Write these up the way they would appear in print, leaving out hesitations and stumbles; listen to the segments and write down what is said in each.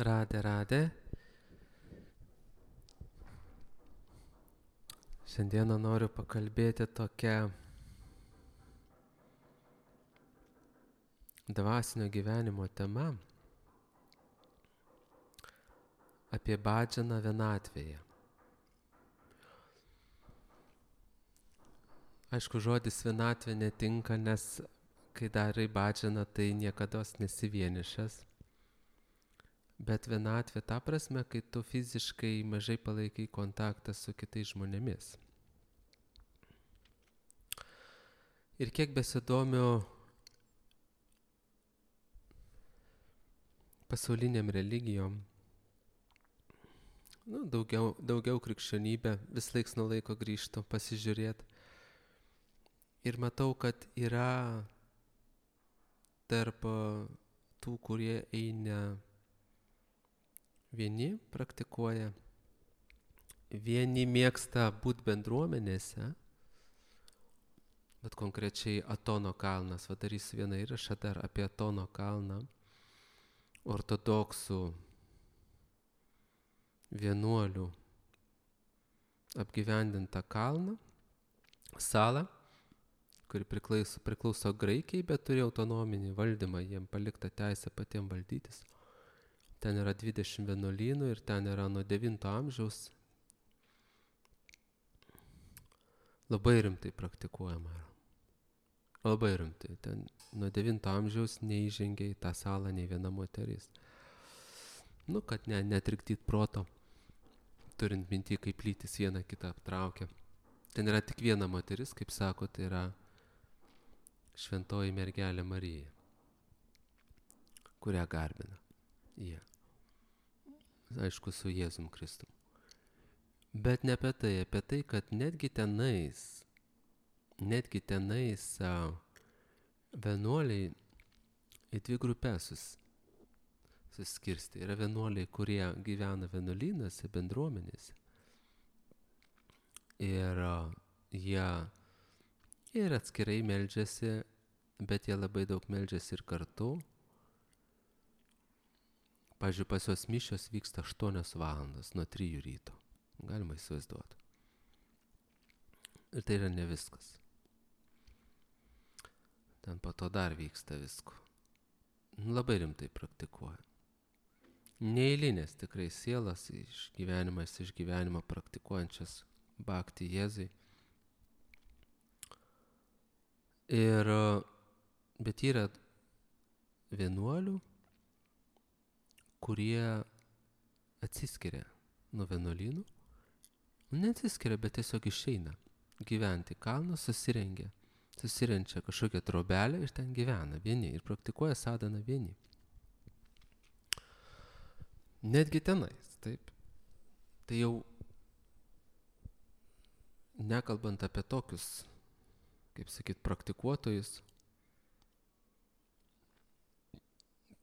Radė. Šiandieną noriu pakalbėti tokią dvasinio gyvenimo temą apie bhadžaną vienatvėje. Aišku, žodis vienatvė netinka, nes kai darai bhadžaną, tai niekados nesi vienišas. Bet vienatvė ta prasme, kai tu fiziškai mažai palaikai kontaktą su kitais žmonėmis. Ir kiek besidomiu pasauliniam religijom, daugiau krikščionybę, vis laiks nuo laiko grįžtu pasižiūrėti. Ir matau, kad yra tarp tų, kurie eina vieni, praktikuoja, vieni mėgsta būti bendruomenėse, bet konkrečiai Atono kalnas, darysiu vieną įrašą dar apie Atono kalną, ortodoksų vienuolių apgyvendintą kalną, salą, kuri priklauso Graikijai, bet turi autonominį valdymą, jiem palikta teisė patiem valdytis. Ten yra 20 vienuolynų ir ten yra nuo 9 amžiaus labai rimtai praktikuojama. Labai rimtai. Ten nuo 9 amžiaus neįžengia į tą salą nei viena moteris. Kad netrikdyt proto, turint minty, kaip lytis vieną kitą aptraukia. Ten yra tik viena moteris, kaip sako, tai yra šventoji mergelė Marija, kurią garbina jie. Aišku, su Jėzum Kristum. Bet ne apie tai, kad netgi tenais vienuoliai į dvi grupės suskirstė. Yra vienuoliai, kurie gyvena vienuolynose, bendruomenėse. Ir jie ir atskirai meldžiasi, bet jie labai daug meldžiasi ir kartu. Pavyzdžiui, pas juos mišios vyksta 8 valandas nuo 3 ryto. Galima įsivaizduoti. Ir tai yra ne viskas. Ten po to dar vyksta visko. Labai rimtai praktikuoja. Neeilinės tikrai sielas iš gyvenimo praktikuojančias bhakti Jėzui. Bet yra vienuolių, kurie atsiskiria nuo vienuolynų. Neatsiskiria, bet tiesiog išeina gyventi kalną, susirenčia kažkokią trobelę ir ten gyvena vieni ir praktikuoja sadhaną vieni. Netgi tenais, taip. Tai jau nekalbant apie tokius, kaip sakyt, praktikuotojus,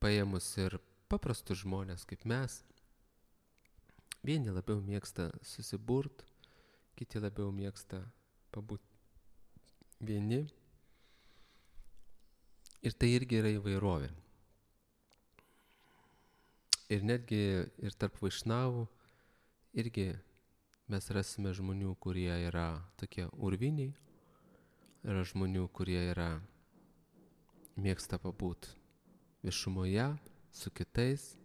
paėmus ir paprastus žmonės kaip mes, vieni labiau mėgsta susiburt, kiti labiau mėgsta pabūti vieni. Ir tai irgi yra įvairovė. Ir netgi ir tarp vaišnavų irgi mes rasime žmonių, kurie yra tokie urviniai, yra žmonių, kurie mėgsta pabūti viešumoje su kitais,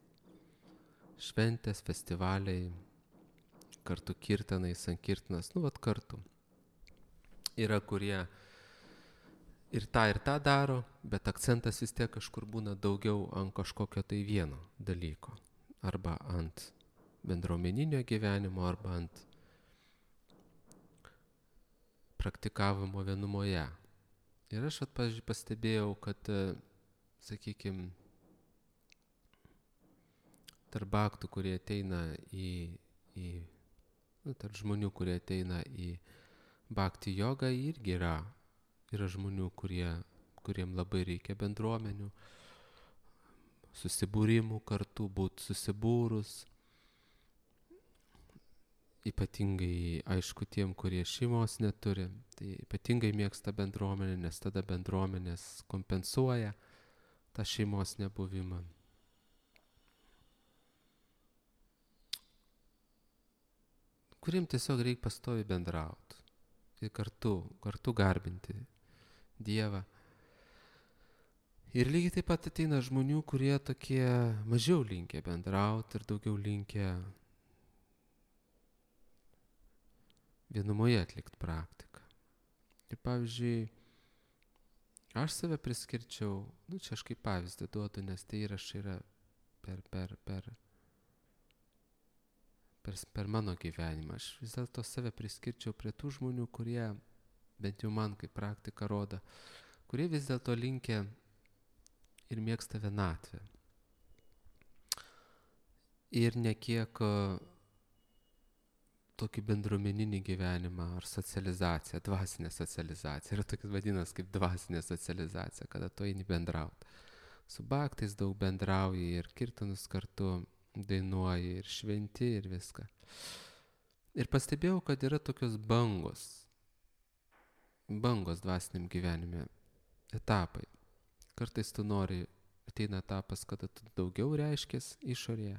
šventės, festivaliai, kartu kirtanai, sankirtinas, kartu. Yra, kurie ir tą daro, bet akcentas vis tiek kažkur būna daugiau ant kažkokio tai vieno dalyko. Arba ant bendruomeninio gyvenimo, arba ant praktikavimo vienumoje. Ir aš pastebėjau, kad, sakykime, tarp bhaktų, kurie ateina tarp žmonių, kurie ateina į bhakti jogą, irgi yra žmonių, kuriem labai reikia bendruomenių, susibūrimų kartu, būti susibūrus. Ypatingai, aišku, tiem, kurie šeimos neturi, tai ypatingai mėgsta bendruomenę, nes tada bendruomenės kompensuoja tą šeimos nebuvimą. kuriem tiesiog reikia pastoviai bendrauti. Ir kartu garbinti Dievą. Ir lygiai taip pat ateina žmonių, kurie tokie mažiau linkę bendrauti ir daugiau linkę vienumoje atlikti praktiką. Ir pavyzdžiui, aš save priskirčiau, čia aš kaip pavyzdį duodu, nes tai įrašai yra per mano gyvenimą. Aš vis dėlto save priskirčiau prie tų žmonių, kurie, bent jau man kaip praktika rodo, kurie vis dėlto linkę ir mėgsta vienatvę. Ir ne kiek tokį bendruomeninį gyvenimą ar socializaciją, dvasinę socializaciją. Yra tokias vadinas kaip dvasinė socializacija, kada tu eini bendrauti. Su bhaktais daug bendrauji ir kirtanus kartu dainuoji ir šventi ir viską. Ir pastebėjau, kad yra tokios bangos dvasiniam gyvenime, etapai. Kartais tu nori, ateina etapas, kada tu daugiau reiškės išorėje,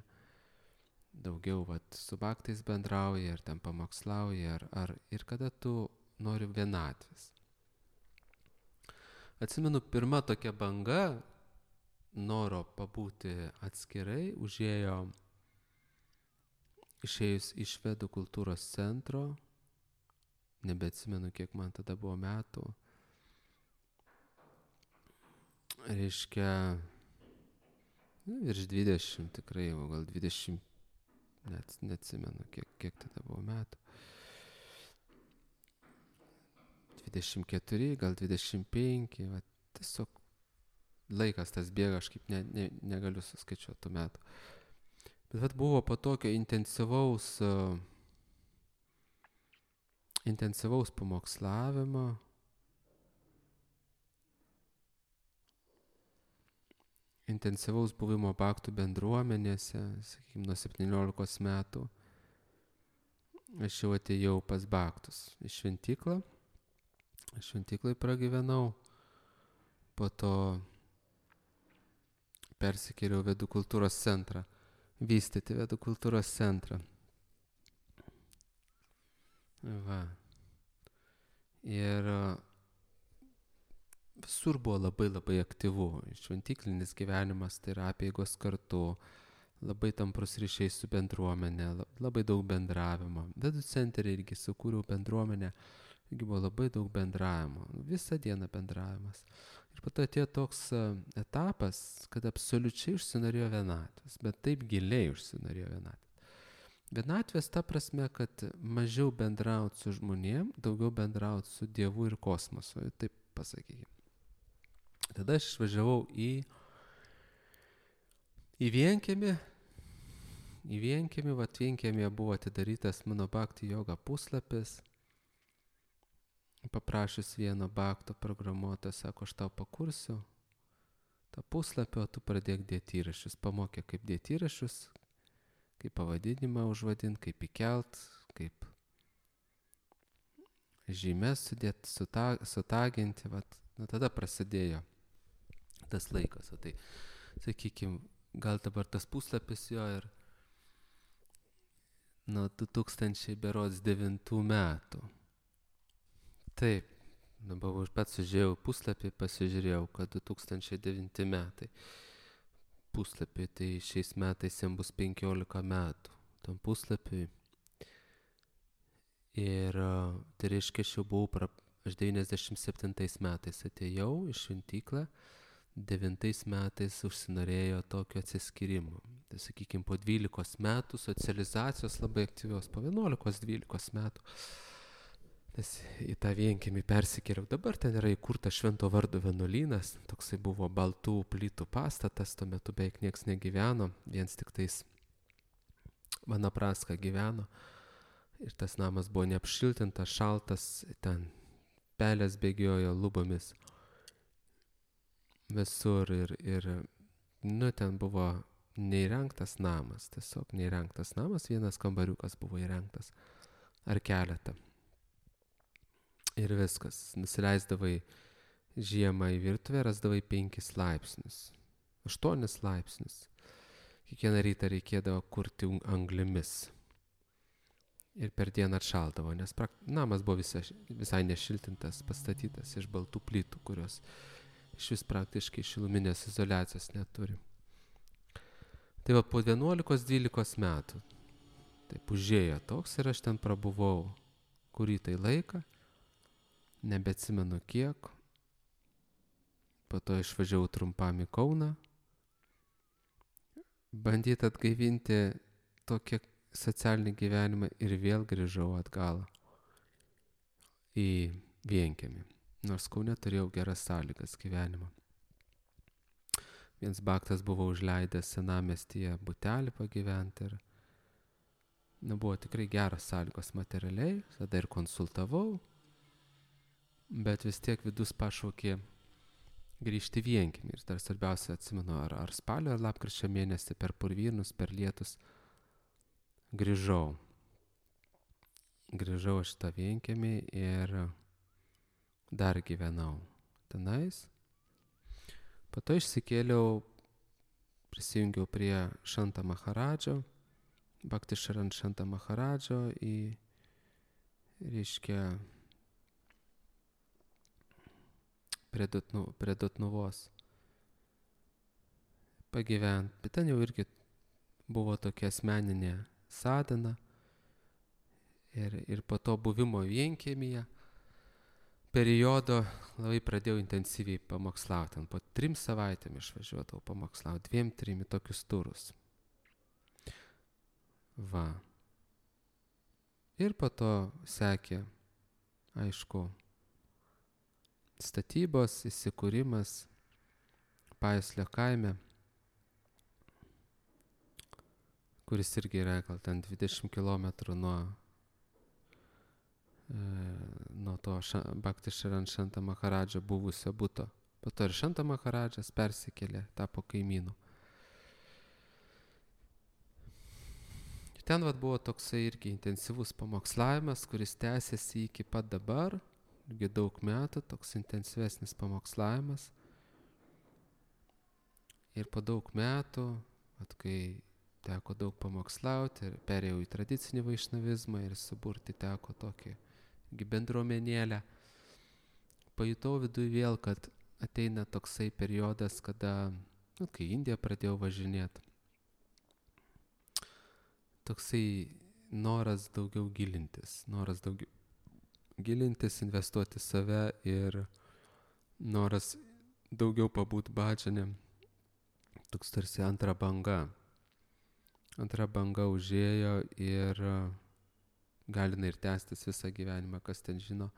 daugiau su bhaktais bendrauji ir ten pamokslauji, ir kada tu nori vienatvės. Atsimenu, pirma tokia banga noro pabūti atskirai išėjus iš Vedų kultūros centro, nebeatsimenu, kiek man tada buvo metų, reiškia, virš 20 tikrai, o gal 20, net neatsimenu, kiek tada buvo metų. 24, gal 25, tiesiog laikas tas bėga, aš kaip negaliu suskaičiuoti tų metų. Bet buvo po tokio intensyvaus pamokslavimo, intensyvaus buvimo bhaktų bendruomenėse, sakykime, nuo 17 metų, aš jau atėjau pas bhaktus į šventyklą. Aš šventyklai pragyvenau, po to persikėliau Vedų kultūros centrą, vystyti Vedų kultūros centrą. Ir visur buvo labai aktyvu. Šventyklinis gyvenimas, tai yra apeigos kartu, labai tamprus ryšiai su bendruomenė, labai daug bendravimo. Vedų centre irgi sukūriau bendruomenę, irgi buvo labai daug bendravimo, visą dieną bendravimas. Ir po to atėjo toks etapas, kad absoliučiai užsinorėjo vienatvės, bet taip giliai užsinorėjo vienatvės. Vienatvės ta prasme, kad mažiau bendrauti su žmonėm, daugiau bendrauti su Dievu ir kosmosu, taip pasakykime. Tada aš išvažiavau į Vienkiemį. Į Vienkiemį, Vienkiemyje buvo atidarytas mano bhakti joga puslapis. Paprašius vieno bhakto programuotojo, sako, aš tau pakursiu tą puslapį, o tu pradėk dėti įrašus. Pamokė, kaip dėti įrašus, kaip pavadinimą užvadinti, kaip įkelt, kaip žymes sudėti, sutaginti. Tada prasidėjo tas laikas. Tai, sakykime, gal dabar tas puslapis jo ir nuo 2009 metų. Taip, dabar aš pats sužiūrėjau puslapį, pasižiūrėjau, kad 2009 metai puslapį, tai šiais metais jam bus 15 metų tam puslapiui. Ir tai reiškia, aš 97 metais atėjau į šventyklą, 9 metais užsinorėjo tokio atsiskyrimo. Tai sakykime, po 12 metų socializacijos labai aktyvios, po 11-12 metų. Į tą Vienkiemį persikėliau. Dabar ten yra įkurtas Švento vardo vienuolynas, toksai buvo baltų plytų pastatas, tuo metu beveik nieks negyveno, viens tik tais Vanapraska gyveno. Ir tas namas buvo neapšiltintas, šaltas, ten pelės bėgiojo lubomis visur ir ten buvo neįrengtas namas, tiesiog neįrengtas namas, vienas kambariukas buvo įrengtas ar keletą. Ir viskas, nusileisdavai žiemą į virtuvę, rasdavai 5 laipsnius, 8 laipsnius. Kiekvieną rytą reikėdavo kurti anglimis. ir per dieną atšaldavo, nes namas buvo visai nešiltintas, pastatytas iš baltų plytų, kurios iš vis praktiškai šiluminės izoliacijos neturi. Tai va po 11-12 metų taip užėjo toks ir aš ten prabuvau kurį tai laiką, nebeatsimenu kiek, po to išvažiavau trumpam į Kauną, bandyti atgaivinti tokį socialinį gyvenimą ir vėl grįžau atgal į Vienkiemį, nors Kaune turėjau geras sąlygas gyvenimo. Viens baktas buvo užleidęs senamiestyje butelį pagyventi ir buvo tikrai geras sąlygos materialiai, tada ir konsultavau, bet vis tiek vidus pašaukė grįžti Vienkiemį. Ir dar svarbiausia, atsimenu, ar spalio, ar lapkričio mėnesį per purvynus, per lietus grįžau. Grįžau aš tą Vienkiemį ir dar gyvenau tenais. Po to išsikėliau, prisijungiau prie Šanta Maharadžo, Bhakti Šaran Šanta Maharadžo į, reiškia, prie Dotnuvos pagyvent. Bet ten jau irgi buvo tokia asmeninė sadhana ir po to buvimo Vienkiemyje periodo labai pradėjau intensyviai pamokslauti. Po 3 savaitėm išvažiuodavau pamokslauti, 2-3 į tokius turus. Va. Ir po to sekė, aišku, statybos, įsikūrimas Pajuslio kaime, kuris irgi yra gal ten 20 km nuo to Bhakti Šaran Šanta Maharadžo buvusio buto. Po to ir Šanta Maharadžas persikėlė, tapo kaimynu. Ten buvo toksai irgi intensyvus pamokslavimas, kuris tęsiasi iki pat dabar, irgi daug metų, toks intensyvesnis pamokslavimas. Ir po daug metų, kai teko daug pamokslauti ir perėjau į tradicinį vaišnavizmą ir suburti teko tokį bendruomenėlę, pajutau viduje vėl, kad ateina toksai periodas, kada, kai į Indiją pradėjau važinėti, toksai noras daugiau gilintis, investuoti save ir noras daugiau pabūt bhajanėm, toks tarsi antra banga. Antra banga užėjo ir gali ir tęstis visą gyvenimą, kas ten žino.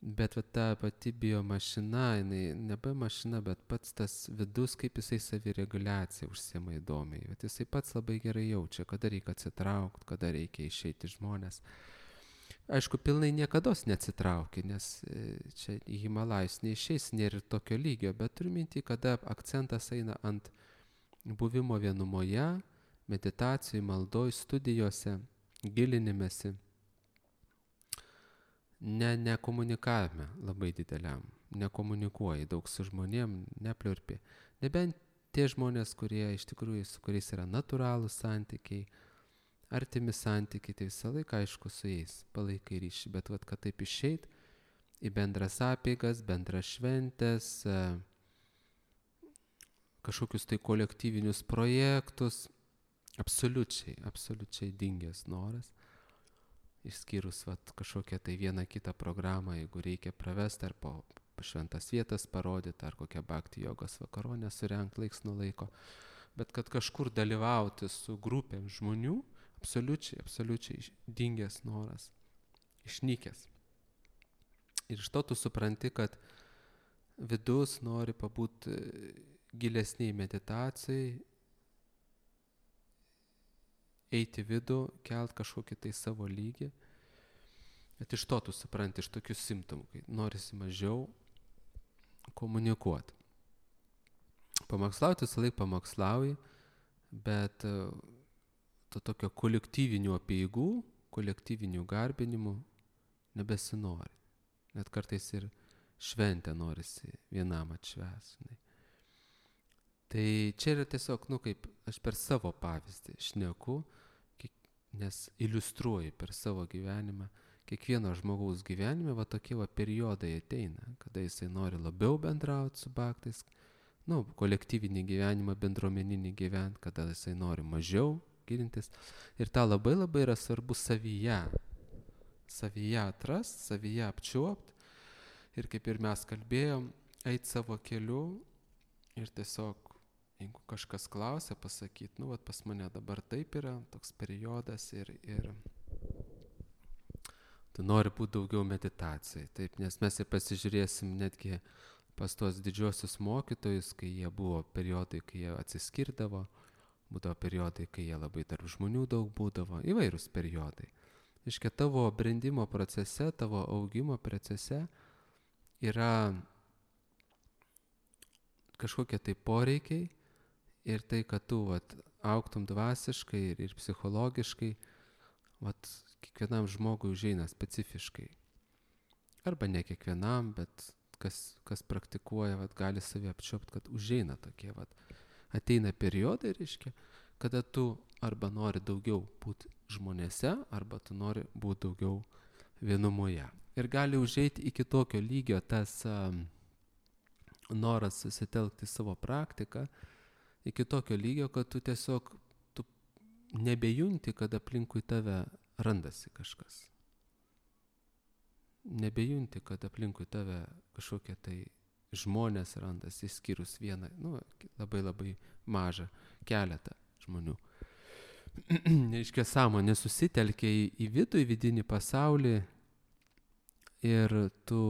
Bet ta pati biomašina, nebe mašina, bet pats tas vidus, kaip jisai savireguliacija užsiema įdomiai. Bet jisai pats labai gerai jaučia, kada reikia atsitraukti, kada reikia išeiti žmonės. Aišku, pilnai niekados neatsitraukia, nes čia į Himalajus neišeis, nėra ir tokio lygio, bet turiu mintį, kada akcentas eina ant buvimo vienumoje, meditacijai, maldoj, studijose, gilinimėsi, ne komunikavime labai dideliam, nekomunikuoji daug su žmonėm, nepliurpi. Nebent tie žmonės, kurie iš tikrųjų su kuriais yra natūralūs santykiai, artimi santykiai, tai visą laiką aišku su jais palaikai ryšį, bet kad taip išeit į bendras apeigas, bendras šventės, kažkokius tai kolektyvinius projektus, absoliučiai dingęs noras, išskyrus kažkokią tai vieną kitą programą, jeigu reikia pravesti ar po šventas vietas parodyti, ar kokią bhakti jogos vakaronę surengt laiks nuo laiko, bet kad kažkur dalyvauti su grupėm žmonių, absoliučiai dingęs noras, išnykęs. Ir iš to tu supranti, kad vidus nori pabūti gilesniai meditacijai, eiti vidų, kelt kažkokį tai savo lygį. Bet iš to tu supranti, iš tokių simptomų, kai norisi mažiau komunikuoti. Pamokslauti visą laiką pamokslauji, bet to tokio kolektyvinių apeigų, kolektyvinių garbinimų nebesinori. Net kartais ir šventę norisi vienam atšvęsti. Tai čia yra tiesiog, kaip aš per savo pavyzdį šneku, nes iliustruoji per savo gyvenimą. Kiekvieno žmogaus gyvenime va tokie va periodai ateina, kada jisai nori labiau bendrauti su bhaktais, kolektyvinį gyvenimą, bendruomeninį gyventi, kada jisai nori mažiau gilintis. Ir tą labai labai yra svarbu savyje atrast, savyje apčiuopt. Ir kaip ir mes kalbėjom, eit savo keliu ir tiesiog, jeigu kažkas klausia, pasakyti, pas mane dabar taip yra, toks periodas ir tu nori būti daugiau meditacijai. Taip, nes mes ir pasižiūrėsim netgi pas tuos didžiosius mokytojus, kai jie buvo periodai, kai jie atsiskirdavo, būdavo periodai, kai jie labai tarp žmonių daug būdavo, įvairūs periodai. Iškia, tavo brendimo procese, tavo augimo procese yra kažkokie tai poreikiai ir tai, kad tu augtum dvasiškai ir psichologiškai, kiekvienam žmogui užeina specifiškai. Arba ne kiekvienam, bet kas praktikuoja, gali savį apčiuopti, kad užeina tokie, ateina periodai, reiškia, kada tu arba nori daugiau būti žmonėse, arba tu nori būti daugiau vienumoje. Ir gali užeiti iki tokio lygio tas noras susitelkti savo praktiką, iki tokio lygio, kad tu tiesiog nebejunti, kad aplinkui tave randasi kažkas. Nebejunti, kad aplinkui tave kažkokie tai žmonės randasi, išskyrus vieną, labai labai mažą keletą žmonių. Reiškia, sąmonė susitelkia į vidų, į vidinį pasaulį ir tu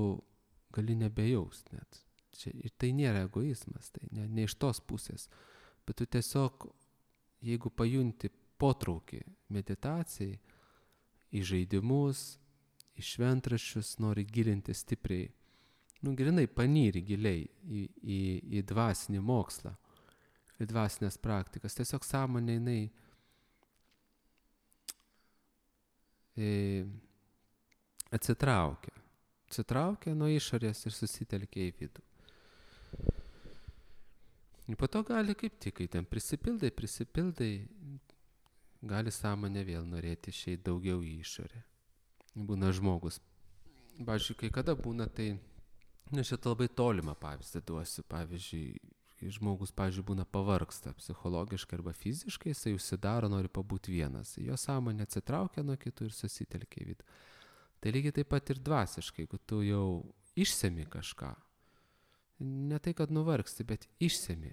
gali nebejaust net. Ir tai nėra egoizmas, tai ne iš tos pusės, bet tu tiesiog, jeigu pajunti potraukį meditacijai, į žaidimus, į šventraščius, nori gilinti stipriai, grinai panyri giliai į dvasinį mokslą, į dvasinės praktikas. Tiesiog sąmonė jinai atsitraukia nuo išorės ir susitelkia į vidų. Ir po to gali kaip tik, kai ten prisipildai, gali sąmonė vėl norėti išeiti daugiau į išorę. Būna žmogus. Pavyzdžiui, kai kada būna, tai, šitą labai tolimą pavyzdį duosiu. Pavyzdžiui, žmogus, būna pavargsta psichologiškai arba fiziškai, jisai užsidaro, nori pabūti vienas. Jo sąmonė atsitraukia nuo kitų ir susitelkia į vidų. Tai lygiai taip pat ir dvasiškai, jeigu tu jau išsemi kažką, ne tai, kad nuvargsti, bet išsemi.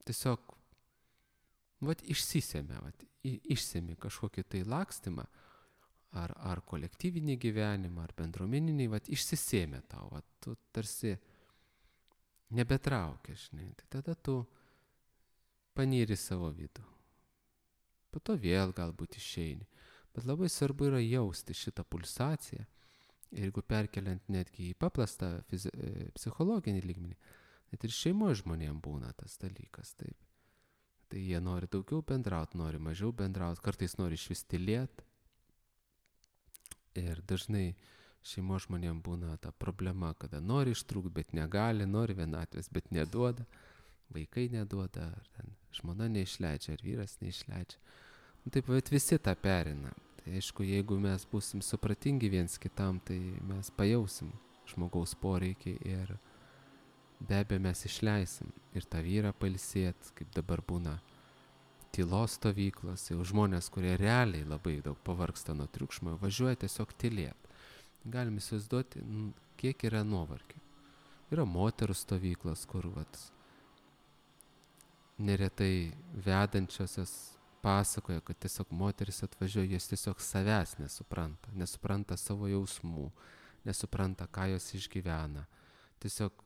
Tiesiog, išsisemi, išsemi kažkokį tai lakstymą, ar kolektyvinį gyvenimą, ar bendruomeninį, išsisėmė tau, tu tarsi nebetraukia, žinai, tai tada tu panyri savo vidų. Po to vėl galbūt išeini. Bet labai svarbu yra jausti šitą pulsaciją. Ir jeigu perkeliant netgi į paprastą psichologinį lygmenį, net ir šeimoje žmonėms būna tas dalykas. Taip. Tai jie nori daugiau bendrauti, nori mažiau bendrauti, kartais nori išvis tylėti. Ir dažnai šeimos žmonėms būna ta problema, kada nori ištrūkti, bet negali, nori vienatvės, bet neduoda, vaikai neduoda, ar ten žmona neišleidžia, ar vyras neišleidžia. Taip, bet visi tą perina. Tai aišku, jeigu mes būsim supratingi viens kitam, tai mes pajausim žmogaus poreikį ir be abejo mes išleisim ir tą vyrą pailsėt, kaip dabar būna tylos stovyklos, jau žmonės, kurie realiai labai daug pavargsta nuo triukšmo, važiuoja tiesiog tylėt. Galim įsivaizduoti, kiek yra nuovargio. Yra moterų stovyklos, kur neretai vedančiosios pasakoja, kad tiesiog moteris atvažiuoja, jos tiesiog savęs nesupranta savo jausmų, nesupranta, ką jos išgyvena. Tiesiog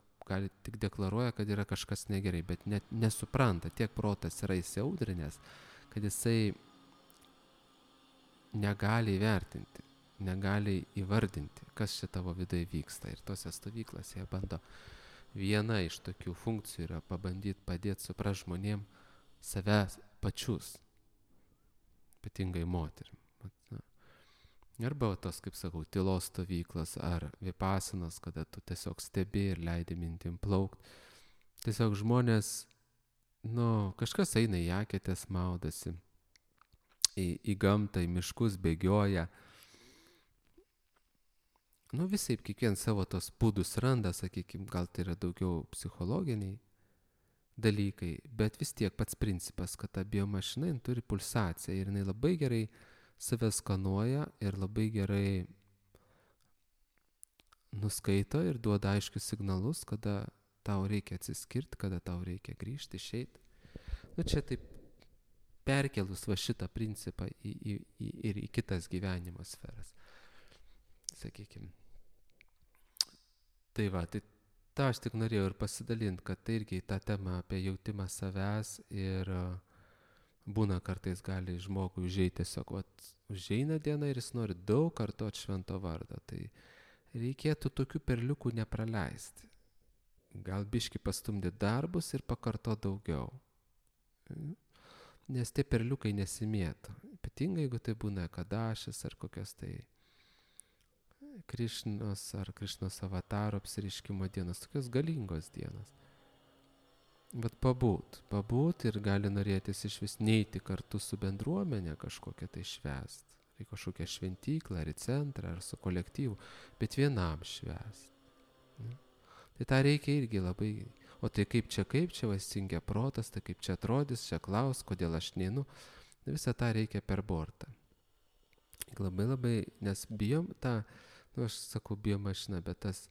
tik deklaruoja, kad yra kažkas negerai, bet net nesupranta, tiek protas yra įsiaudrinęs, kad jisai negali įvertinti, negali įvardinti, kas čia tavo viduje vyksta. Ir tose stovyklose jie bando, viena iš tokių funkcijų yra pabandyti padėti suprast žmonėm savęs pačius, ypatingai moterim. Arba tos, kaip sakau, tylos stovyklos ar vipasanos, kada tu tiesiog stebi ir leidi mintim plaukt. Tiesiog žmonės, kažkas eina į eketės, maudasi. į gamtą, į miškus, bėgioja. Nu visaip, kiekvienas savo tos būdus randa, sakykime, gal tai yra daugiau psichologiniai dalykai, bet vis tiek pats principas, kad ta biomašina turi pulsaciją ir jinai labai gerai save skanuoja ir labai gerai nuskaito ir duoda aiškius signalus, kada tau reikia atsiskirti, kada tau reikia grįžti, išeiti. Nu čia taip perkelus va šitą principą ir į kitas gyvenimo sferas, sakykime. Tai va, tai tą aš tik norėjau ir pasidalinti, kad tai irgi tą temą apie jautimą savęs ir būna kartais gali žmogui užeiti tiesiog, užeina diena ir jis nori daug kartot švento vardą. Tai reikėtų tokių perliukų nepraleisti. Gal biški pastumdyti darbus ir pakartot daugiau. Nes tie perliukai nesimėto. Ypatingai, jeigu tai būna Ekadašis ar kokios tai Krišnos ar Krišnos avataro apsiriškimo dienos, tokios galingos dienos. Bet pabūt ir gali norėtis iš vis neiti kartu su bendruomenė kažkokia tai švęst. Tai kažkokią šventyklą, ar į centrą, ar su kolektyvu, bet vienam švęst. Tai tą reikia irgi labai, o tai kaip čia, vasingia protas, tai kaip čia atrodys, čia klaus, kodėl aš neinu, visą tą reikia per bortą. Labai, nes bijom tą, aš sakau biomašina, bet tas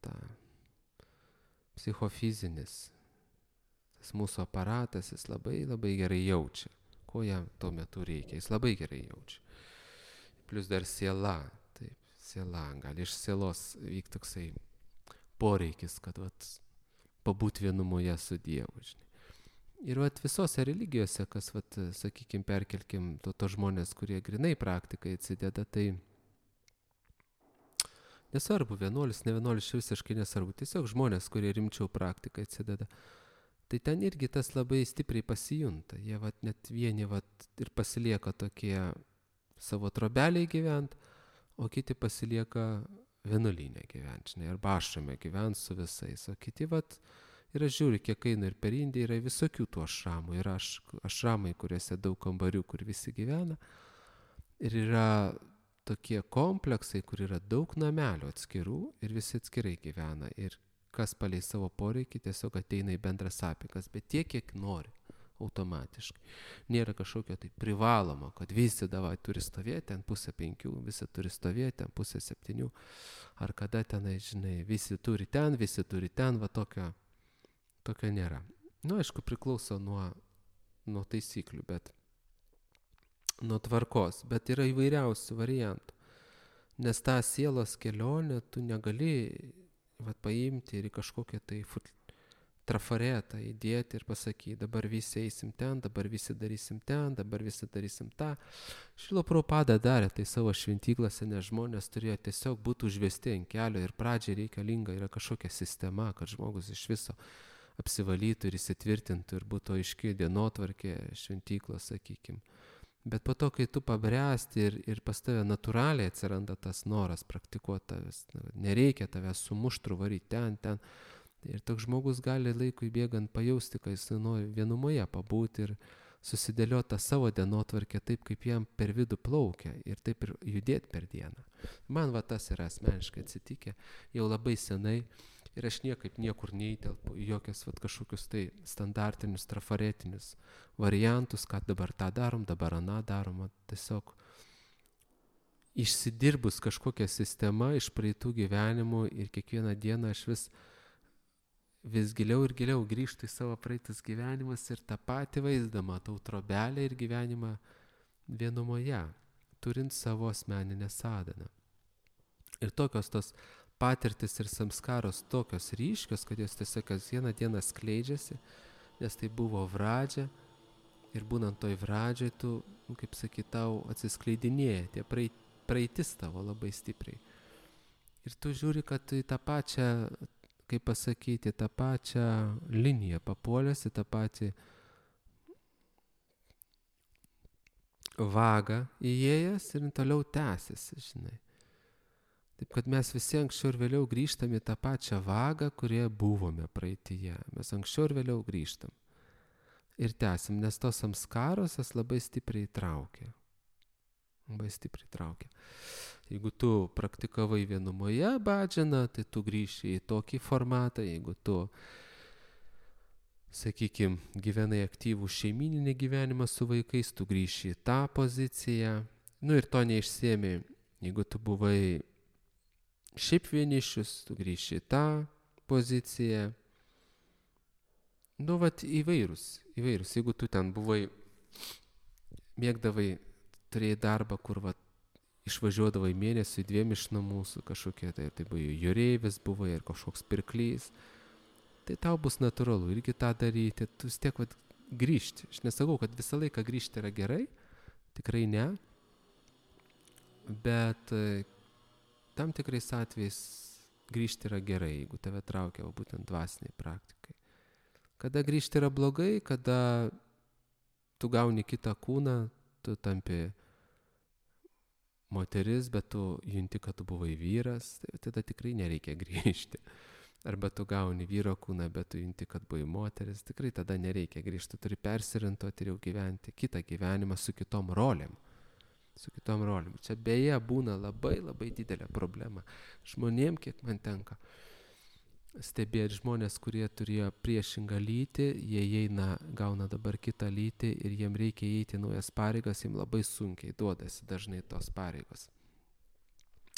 ta psichofizinis, tas mūsų aparatas, jis labai gerai jaučia, ko jam tuo metu reikia, jis labai gerai jaučia. Plius dar siela, taip, siela, gali iš sielos vykti toksai poreikis, kad pabūt vienumoje su Dievu, žinai. Ir visose religijose, kas, sakykime, perkelkim to žmonės, kurie grinai praktikai atsideda, tai nesvarbu, vienuolis, ne vienuolis, visiškai nesvarbu, tiesiog žmonės, kurie rimčiau praktikai atsideda. Tai ten irgi tas labai stipriai pasijunta. Jie net vieni ir pasilieka tokie savo trobeliai gyvent, o kiti pasilieka vienuolyne gyvent, žinai, arba ašrame gyvent su visais. O kiti ir aš žiūriu, kiek eina ir per Indiją yra visokių tų ašramų. Yra ašramai, kuriuose daug kambarių, kur visi gyvena. Ir yra tokie kompleksai, kur yra daug namelių atskirų ir visi atskirai gyvena. Ir kas palei savo poreikį tiesiog ateina į bendras apeigas, bet tiek, kiek nori, automatiškai. Nėra kažkokio tai privalomo, kad visi turi stovėti ant 4:30, visi turi stovėti ant 6:30, ar kada tenai, žinai, visi turi ten, tokio nėra. Nu, aišku, priklauso nuo taisyklių, bet nuo tvarkos, bet yra įvairiausių variantų. Nes tą sielos kelionę tu negali paimti ir į kažkokią tai trafaretą įdėti ir pasakyti, dabar visi eisim ten, dabar visi darysim ten, dabar visi darysim tą. Šrila Prabhupada darė tai savo šventyklose, nes žmonės turėjo tiesiog būti užvesti ant kelio ir pradžiai reikalinga yra kažkokia sistema, kad žmogus iš viso apsivalytų ir įsitvirtintų ir būtų aiški dienotvarkė šventyklos, sakykime. Bet po to, kai tu pabręsti ir pas tave natūraliai atsiranda tas noras praktikuoti tavęs, nereikia tavęs sumuštru varyti ten. Ir toks žmogus gali laikui bėgant pajausti, kad jis nori vienumoje pabūti ir susidėlioti tą savo dienotvarkę taip, kaip jam per vidų plaukia ir taip ir judėti per dieną. Man tas yra asmeniškai atsitikę jau labai senai ir aš niekur neįtelpu į jokias kažkokius tai standartinius, trafaretinius variantus, kad dabar tą darom, dabar aną darom. Tiesiog išsidirbus kažkokią sistemą iš praeitų gyvenimų ir kiekvieną dieną aš vis giliau ir giliau grįžtu į savo praeitus gyvenimus ir tą patį vaizdą matau trobelę ir gyvenimą vienumoje, turint savo asmeninę sadaną. Ir tokios tos patirtis ir samskaros tokios ryškios, kad jos tiesiog kasdieną dieną skleidžiasi, nes tai buvo vradžia ir būnant toj vradžiai tu, kaip sakyt, tau atsiskleidinėja tie praeitis tavo labai stipriai. Ir tu žiūri, kad į tą pačią, kaip pasakyti, tą pačią liniją papuolėsi, tą patį vagą įėjęs ir toliau tęsiasi, žinai. Taip, kad mes visi anksčiau ir vėliau grįžtam į tą pačią vagą, kurioje buvome praeityje. Mes anksčiau ir vėliau grįžtam. ir tęsim, nes tos samskaros jas labai stipriai traukia. Labai stipriai traukia. Jeigu tu praktikavai vienumoje bhadžaną, tai tu grįši į tokį formatą, jeigu tu, sakykime, gyvenai aktyvų šeimininį gyvenimą su vaikais, tu grįši į tą poziciją. Ir to neišsiemi, jeigu tu buvai šiaip vienišius, tu grįši į tą poziciją. Vat įvairūs. Jeigu tu ten buvai, mėgdavai, turėjai darbą, kur išvažiuodavai mėnesiui 2 iš namų su kažkokia, tai buvai jūreivis, buvai ir kažkoks pirklys, tai tau bus natūralu irgi tą daryti, tu vis tiek grįžti. Aš nesakau, kad visą laiką grįžti yra gerai, tikrai ne, bet tam tikrais atvejais grįžti yra gerai, jeigu tave traukia būtent dvasiniai praktikai. Kada grįžti yra blogai, kada tu gauni kitą kūną, tu tampi moteris, bet tu junti, kad tu buvai vyras, tai tada tikrai nereikia grįžti. Arba tu gauni vyro kūną, bet tu junti, kad buvai moteris, tikrai tada nereikia grįžti, tu turi persiorientuoti ir jau gyventi kitą gyvenimą su kitom rolėm. Čia beje būna labai labai didelė problema. Žmonėm, kiek man tenka stebėti, žmonės, kurie turėjo priešingą lytį, jie eina, gauna dabar kitą lytį ir jiem reikia įeiti naujas pareigas, jiem labai sunkiai duodasi dažnai tos pareigos.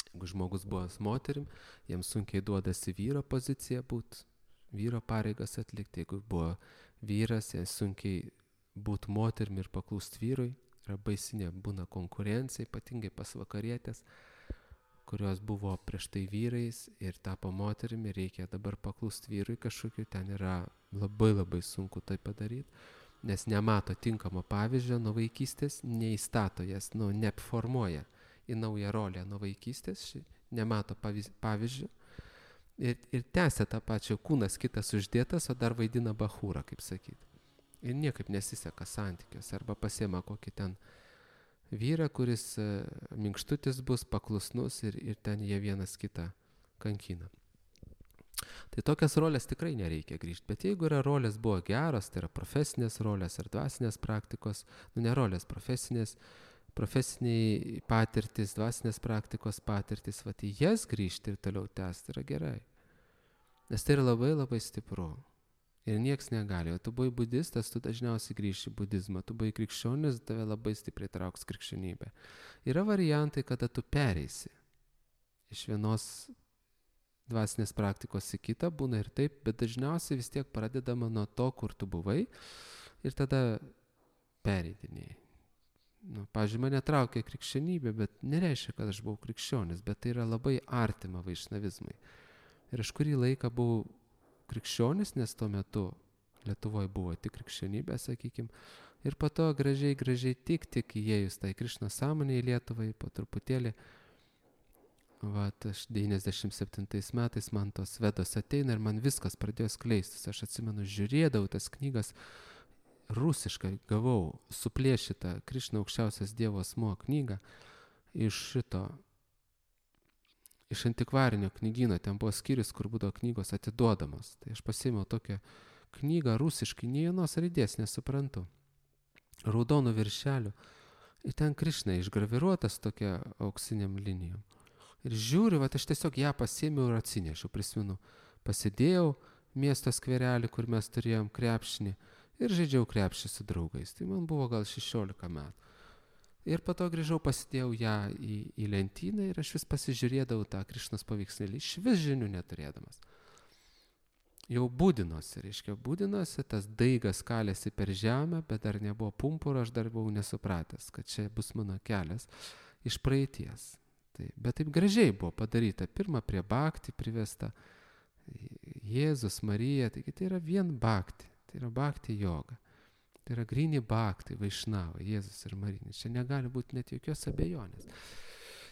Jeigu žmogus buvo moterim, jiems sunkiai duodasi vyro pozicija būti, vyro pareigas atlikti. Jeigu buvo vyras, jiems sunkiai būti moterim ir paklūsti vyrui. Yra baisinė būna konkurencija, ypatingai pas vakarietės, kurios buvo prieš tai vyrais ir tapo moterimi ir reikia dabar paklūsti vyrui kažkokiu, ten yra labai labai sunku tai padaryti, nes nemato tinkamo pavyzdžio nuo vaikystės, neįstato jas, neformuoja į naują rolę nuo vaikystės, nemato pavyzdžio ir tęsia tą pačią, kūnas kitas uždėtas, o dar vaidina bachūrą, kaip sakyti. Ir niekaip nesiseka santykiuose, arba pasiema kokį ten vyrą, kuris minkštutis bus, paklusnus ir ten jie vienas kitą kankina. Tai tokias rolės tikrai nereikia grįžti, bet jeigu yra rolės buvo geros, tai yra profesinės rolės ar dvasinės praktikos, ne rolės, profesiniai patirtis, dvasinės praktikos patirtis, į jas grįžti ir toliau tęsti yra gerai. Nes tai yra labai labai stipru. Ir nieks negali. O tu buvai budistas, tu dažniausiai grįši į budizmą. Tu buvai krikščionis, tave labai stipriai trauks krikščionybė. Yra variantai, kada tu pereisi iš vienos dvasinės praktikos į kitą, būna ir taip, bet dažniausiai vis tiek pradedama nuo to, kur tu buvai ir tada pereidinėjai. Pavyzdžiui, mane traukia krikščionybė, bet nereiškia, kad aš buvau krikščionis, bet tai yra labai artima vaišnavizmui. Ir aš kurį laiką buvau krikščionis, nes tuo metu Lietuvoje buvo tik krikščionybė, sakykime, ir po to gražiai tik įėjus tai Krišna sąmonė į Lietuvai, po truputėlį, aš 97 metais man tos vedos ateina ir man viskas pradėjo skleistis. Aš atsimenu, žiūrėdavau tas knygas, rusiškai gavau suplėšytą Krišna aukščiausias Dievo asmuo knygą iš antikvarinio knygyno, ten buvo skyrius, kur būdavo knygos atiduodamos. Tai aš pasiėmiau tokią knygą rusiškai, nei vienos raidės nesuprantu, raudonų viršelių. Ir ten Krišna išgraviruotas tokia auksiniam linijom. Ir žiūriu, aš tiesiog ją pasiėmiau ir atsinešiau, prisimenu. Pasidėjau miesto skverelį, kur mes turėjom krepšinį ir žaidžiau krepšį su draugais. Tai man buvo gal 16 metų. Ir po to grįžau, pasidėjau ją į lentyną ir aš vis pasižiūrėdavau tą Krišnos paveikslėlį, iš vis žinių neturėdamas. Jau būdinosi, tas daigas kalėsi per žemę, bet dar nebuvo pumpuro, aš dar buvau nesupratęs, kad čia bus mano kelias iš praeities. Bet taip gražiai buvo padaryta, pirma prie bhakti privesta Jėzus, Marija, taigi tai yra vien bhakti, tai yra bhakti joga. Tai yra gryni bhakti, vaišnava, Jėzus ir Marija. Čia negali būti net jokios abejonės.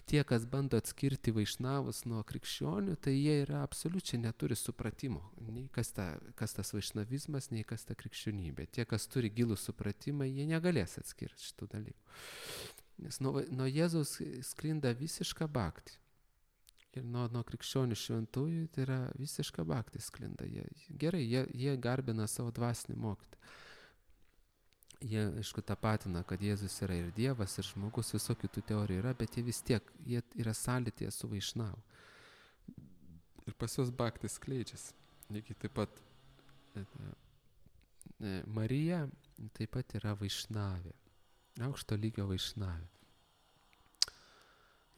Tie, kas bando atskirti vaišnavus nuo krikščionių, tai jie yra absoliučiai neturi supratimo. Nei kas tas vaišnavizmas, nei kas ta krikščionybė. Tie, kas turi gilų supratimą, jie negalės atskirti šitų dalykų. Nes nuo Jėzaus sklinda visiška bhakti. Ir nuo krikščionių šventųjų tai yra visiška bhakti sklinda. Jie garbina savo dvasinį mokytoją. Jie, aišku, tapatina, kad Jėzus yra ir Dievas, ir žmogus, visokių tų teorijų yra, bet jie vis tiek, jie yra sąlytyje su Vaišnavu. Ir pas juos bhaktis skleidžiasi. Lygiai taip pat Marija taip pat yra Vaišnavė, aukšto lygio Vaišnavė.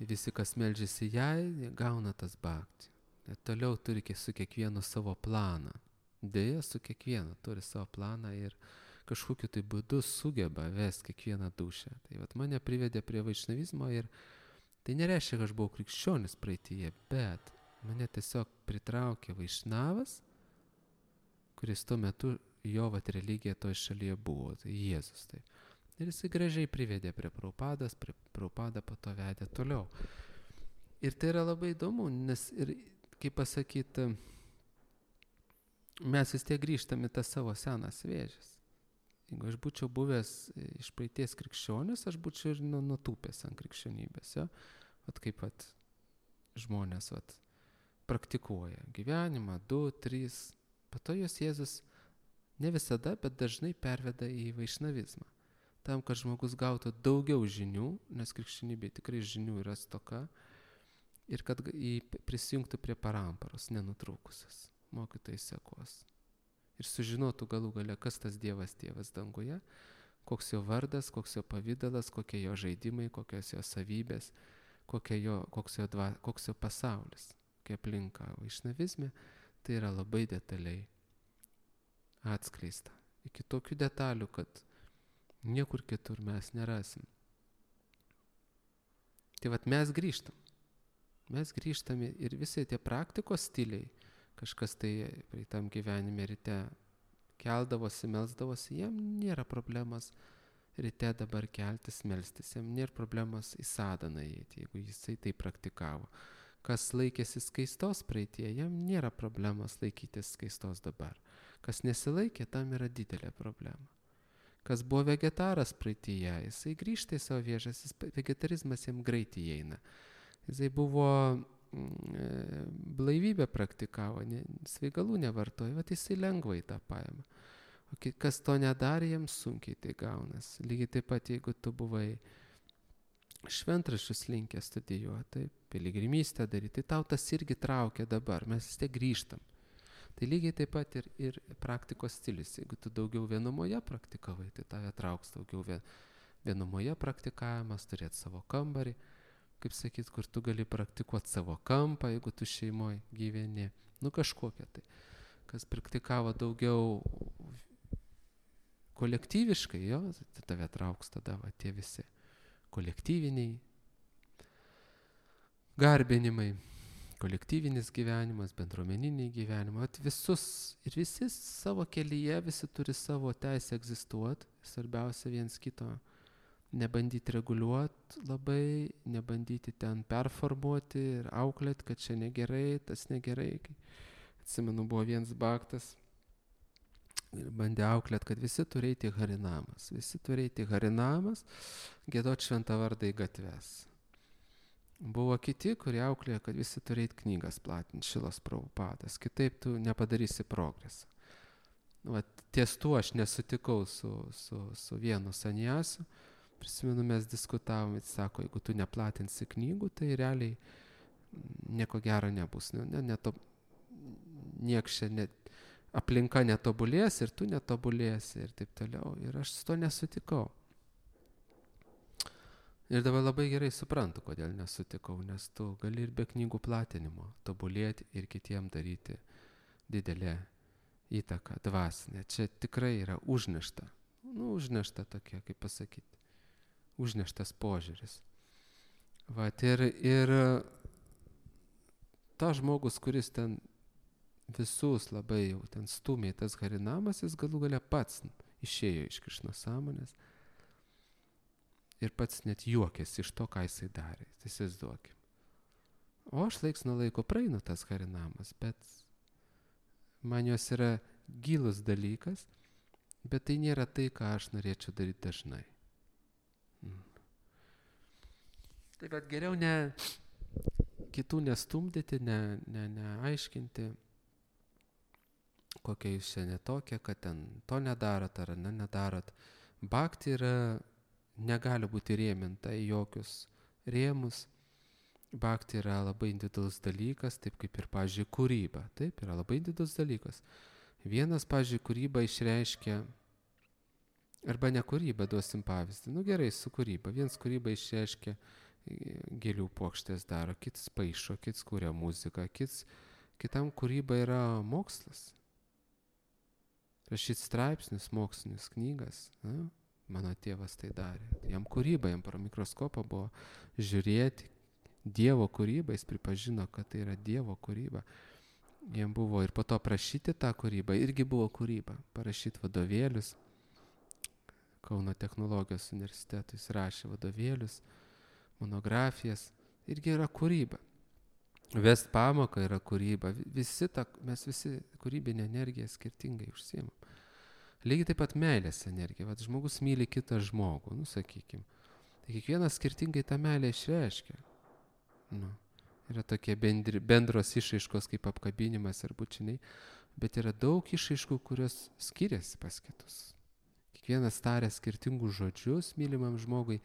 Ir visi, kas meldžiasi jai, gauna tas bhakti. Ir toliau turi su kiekvienu savo planą. Deja, su kiekvienu turi savo planą ir kažkokiu tai būdu sugeba vesti kiekvieną dušę. Tai vat mane privedė prie vaišnavizmo ir tai nereiškia, kad aš buvau krikščionis praeityje, bet mane tiesiog pritraukė Vaišnavas, kuris tuo metu jo vat religija toje šalyje buvo, tai Jėzus. Tai. Ir jisai gražiai privedė prie Prabhupados, Prabhupada po to vedė toliau. Ir tai yra labai įdomu, nes ir, kaip pasakyti, mes vis tiek grįžtame tas savo senas vėžes. Jeigu aš būčiau buvęs iš praeities krikščionis, aš būčiau ir nutūpęs ant krikščionybės. Ja? Vat kaip vat žmonės vat praktikuoja gyvenimą, 2, 3. Po to jos Jėzus ne visada, bet dažnai perveda į vaišnavizmą. Tam, kad žmogus gautų daugiau žinių, nes krikščionybėje tikrai žinių yra stoka, ir kad prisijungtų prie paramparos, nenutrūkusios, mokytojai sekos. Ir sužinotų galų gale, kas tas Dievas tėvas danguje, koks jo vardas, koks jo pavidalas, kokie jo žaidimai, kokios jo savybės, koks jo pasaulis, kokia aplinka. Vaišnavizme tai yra labai detaliai atskleista. Iki tokių detalių, kad niekur kitur mes nerasim. Tai vat mes grįžtam. Mes grįžtame ir visi tie praktikos stiliai, kažkas tai praeitam gyvenime ryte keldavosi, melsdavosi, jam nėra problemas ryte dabar keltis, melstis, jam nėra problemas į sadaną įeiti, jeigu jisai tai praktikavo. Kas laikėsi skaistos praeitie, jam nėra problemas laikytis skaistos dabar. Kas nesilaikė, tam yra didelė problema. Kas buvo vegetaras praeityje, jisai grįžta į savo vėžas, vegetarizmas jam greitai eina. Jisai buvo blaivybę praktikavo, svaigalų nevartojo, bet jisai lengvai tą paima. O kas to nedarė, jiems sunkiai tai gaunas. Lygiai taip pat, jeigu tu buvai šventraščius linkęs studijuoti, piligrimystę daryti, tai tau tas irgi traukia dabar, mes vis tiek grįžtam. Tai lygiai taip pat ir praktikos stilius. Jeigu tu daugiau vienumoje praktikavai, tai tave trauks daugiau vienumoje praktikavimas, turėti savo kambarį, kaip sakyt, kur tu gali praktikuoti savo kampą, jeigu tu šeimoje gyveni, kažkokia tai. Kas praktikavo daugiau kolektyviškai, tai tave trauks tada tie visi kolektyviniai garbinimai, kolektyvinis gyvenimas, bendruomeniniai gyvenimai. Visi savo kelyje, visi turi savo teisę egzistuoti, svarbiausia viens kito nebandyti reguliuoti labai, nebandyti ten performuoti ir auklėti, kad čia negerai, tas negerai. Atsimenu, buvo vienas bhaktas ir bandė auklėti, kad visi turi eiti harinamas. Visi turi eiti harinamas, giedoti šventą vardą į gatves. Buvo kiti, kurie auklėjo, kad visi turi eiti knygas platinti, Šilos Prabhupadas. Kitaip tu nepadarysi progresą. Ties tuo aš nesutikau su vienu sanjasu. Prisimenu, mes diskutavom, jis sako, jeigu tu neplatinsi knygų, tai realiai nieko gero nebus. Aplinka netobulės ir tu netobulėsi ir taip toliau. Ir aš su to nesutikau. Ir dabar labai gerai suprantu, kodėl nesutikau, nes tu gali ir be knygų platinimo tobulėti ir kitiem daryti didelę įtaką dvasinę. Čia tikrai yra užnešta. Užnešta tokia, kaip pasakyti. Užneštas požiūris. Ir ta žmogus, kuris ten visus labai jau ten stumė tas harinamas, jis galų gale pats išėjo iš Krišnos sąmonės ir pats net juokėsi iš to, ką jisai darė. Tai įsivaizduokim. O aš laiks nuo laiko praeinu tas harinamas, bet man jos yra gilus dalykas, bet tai nėra tai, ką aš norėčiau daryti dažnai. Tai bet geriau kitų nestumdyti, neaiškinti, kokia jūs čia netokia, kad ten to nedarot ar nedarot. Bhakti negali būti rėminta į jokius rėmus. Bhakti yra labai individualus dalykas, taip kaip ir, pavyzdžiui, kūryba. Taip, yra labai individualus dalykas. Vienas, pavyzdžiui, kūryba išreiškia, arba ne kūryba, duosim pavyzdį. Nu gerai, su kūryba. Vienas kūryba išreiškia, gėlių puokštės daro, kitas paišo, kitas kūrė muziką, kitam kūryba yra mokslas. Rašyti straipsnius, mokslinis knygas. Na? Mano tėvas tai darė. Jam kūryba, jam pro mikroskopą buvo žiūrėti Dievo kūrybą, jis pripažino, kad tai yra Dievo kūryba. Jam buvo ir po to prašyti tą kūrybą, irgi buvo kūryba. Parašyti vadovėlius. Kauno technologijos universitetui jis rašė vadovėlius, monografijas, irgi yra kūryba. Vest pamoką yra kūryba. Mes visi kūrybinę energiją skirtingai užsiimam. Lygiai taip pat meilės energija. Vat žmogus myli kitą žmogų, sakykim. Tai kiekvienas skirtingai tą meilę išreiškia. Yra tokie bendros išraiškos kaip apkabinimas ir bučiniai, bet yra daug išraiškų, kurios skiriasi pas kitus. Kiekvienas taria skirtingus žodžius mylimam žmogui,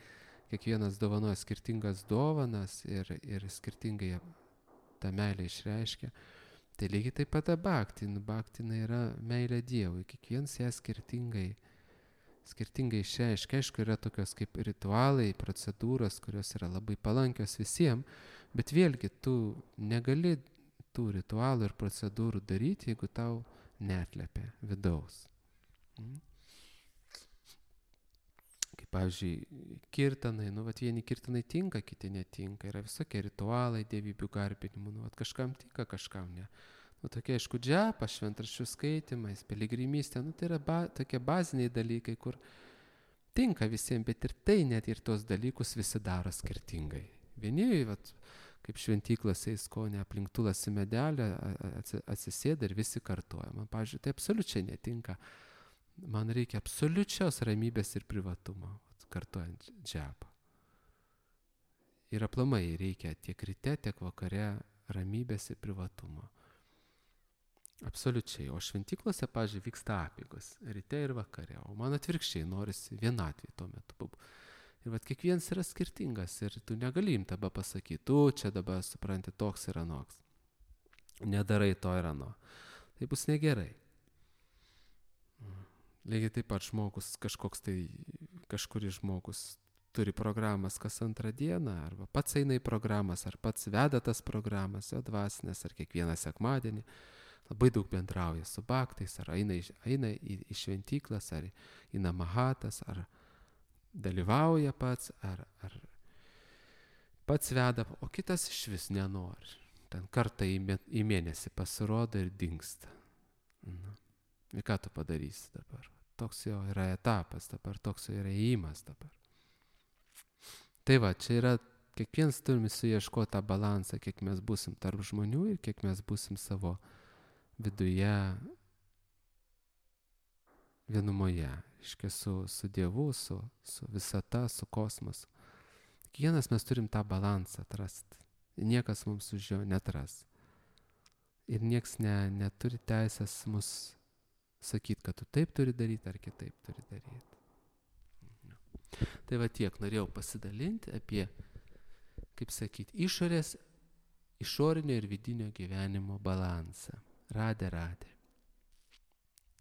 kiekvienas dovanoja skirtingas dovanas ir skirtingai tą meilę išreiškia. Tai lygiai taip pat bhakti. Bhakti yra meilė Dievui. Kiekvienas ją skirtingai išreiškia. Aišku, yra tokios kaip ritualai, procedūros, kurios yra labai palankios visiems, bet vėlgi tu negali tų ritualų ir procedūrų daryti, jeigu tau neatliepia vidaus. Kaip pavyzdžiui, kirtanai, vieni kirtanai tinka, kiti netinka. Yra visokie ritualai, dievybių garbinimų, kažkam tinka, kažkam ne. Tokie, aišku, džapa, šventraščių skaitimais, piligrimystė, tai yra tokie baziniai dalykai, kur tinka visiems, bet ir tai net ir tos dalykus visi daro skirtingai. Vieni, kaip šventyklose įskonė aplink tulasi medelę, atsisėda ir visi kartuoja. Man, pavyzdžiui, tai absoliučiai netinka. Man reikia absoliučios ramybės ir privatumo, kartuojant džapą. Ir aplamai reikia tiek ryte, tiek vakare ramybės ir privatumo. Absoliučiai. O šventyklose, pavyzdžiui, vyksta apeigos ryte ir vakare. O man atvirkščiai norisi vienatvį tuo metu. Ir kiekvienas yra skirtingas ir tu negali jam tada pasakyti, tu čia dabar supranti, toks ir anoks. Nedarai to ir ano. Tai bus negerai. Lygiai taip pat kažkuris žmogus turi programas kas antrą dieną, arba pats eina į programas, ar pats veda tas programas, jo dvasinės, ar kiekvieną sekmadienį. Labai daug bendrauja su bhaktais, ar eina į šventyklas, ar į namahatas, ar dalyvauja pats, ar pats veda, o kitas iš vis nenori. Ten kartą į mėnesį pasirodo ir dingsta. Ir ką tu padarysi dabar? Toks jo yra etapas dabar, toks jo yra įėjimas dabar. Tai čia yra, kiekvienas turime suieškoti tą balansą, kiek mes būsim tarp žmonių ir kiek mes būsim savo viduje vienumoje, reiškia su Dievu, su visata, su kosmosu. Kiekvienas mes turim tą balansą atrasti. Niekas mums už jo netras. Ir nieks neturi teisės mus sakyti, kad tu taip turi daryti ar kitaip turi daryti. Tai tiek norėjau pasidalinti apie, kaip sakyti, išorinio ir vidinio gyvenimo balansą. Radė.